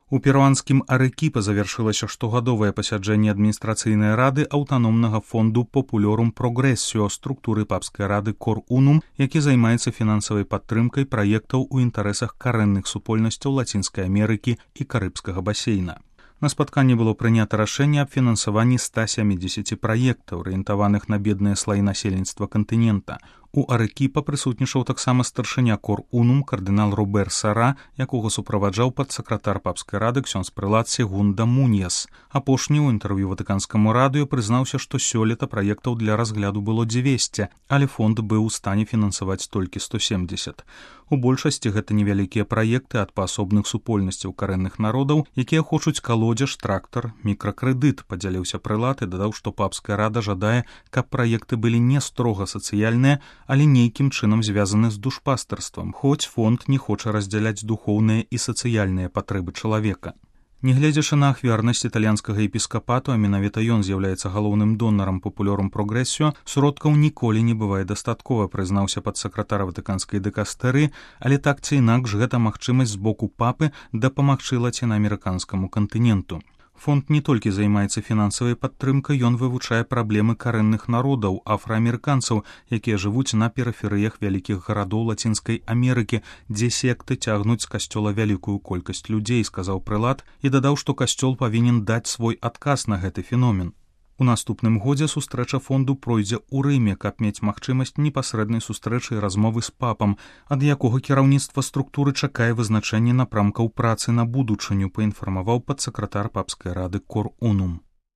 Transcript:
У перуанскім Арекіпа завяршылася штогадовае пасяджэнне адміністрацыйнай рады аўтаномнага фонду Populorum Progressio структуры папскай рады Cor Unum, які займаецца фінансавай падтрымкай праектаў у інтарэсах карэнных супольнасцяў Лацінскай Амерыкі і Карыбскага басейна. На спатканні было прынята рашэнне аб фінансаванні 170 праектаў, арыентаваных на бедныя слаі насельніцтва кантынента. У Арекіпа прысутнічаў таксама старшыня Cor Unum кардынал Робер Сара, якога суправаджаў падсакратар папскай рады ксёндз прэлат Сегунда Муньяс. Апошні ў інтэрв'ю Ватыканскаму радыё прызнаўся, што сёлета праектаў для разгляду было 200, але фонд быў у стане фінансаваць толькі 170. У большасці гэта невялікія праекты ад паасобных супольнасцяў карэнных народаў, якія хочуць калодзеж, трактар, мікракрэдыт, падзяліўся прэлат і дадаў, што папская рада жадае, каб праекты былі не строга сацыяльныя, але нейкім чынам звязаны з душпастарствам, хоць фонд не хоча раздзяляць духоўныя і сацыяльныя патрэбы чалавека. Нягледзячы на ахвярнасць італьянскага епіскапату, а менавіта ён з'яўляецца галоўным донарам Populorum Progressio, сродкаў ніколі не бывае дастаткова, прызнаўся падсакратар ватыканскай дыкастэрыі, але так ці інакш гэта магчымасць з боку папы дапамагчы лацінаамерыканскаму кантыненту. Фонд не толькі займаецца фінансавай падтрымкай, ён вывучае праблемы карэнных народаў, афраамерыканцаў, якія жывуць на перыферыях вялікіх гарадоў Лацінскай Амерыкі, дзе секты цягнуць з касцёла вялікую колькасць людзей, сказаў прэлат і дадаў, што касцёл павінен даць свой адказ на гэты феномен. У наступным годзе сустрэча фонду пройдзе ў Рыме, каб мець магчымасць непасрэднай сустрэчы і размовы з папам, ад якога кіраўніцтва структуры чакае вызначэнне напрамкаў працы на будучыню, паінфармаваў падсакратар папскай рады Cor Unum.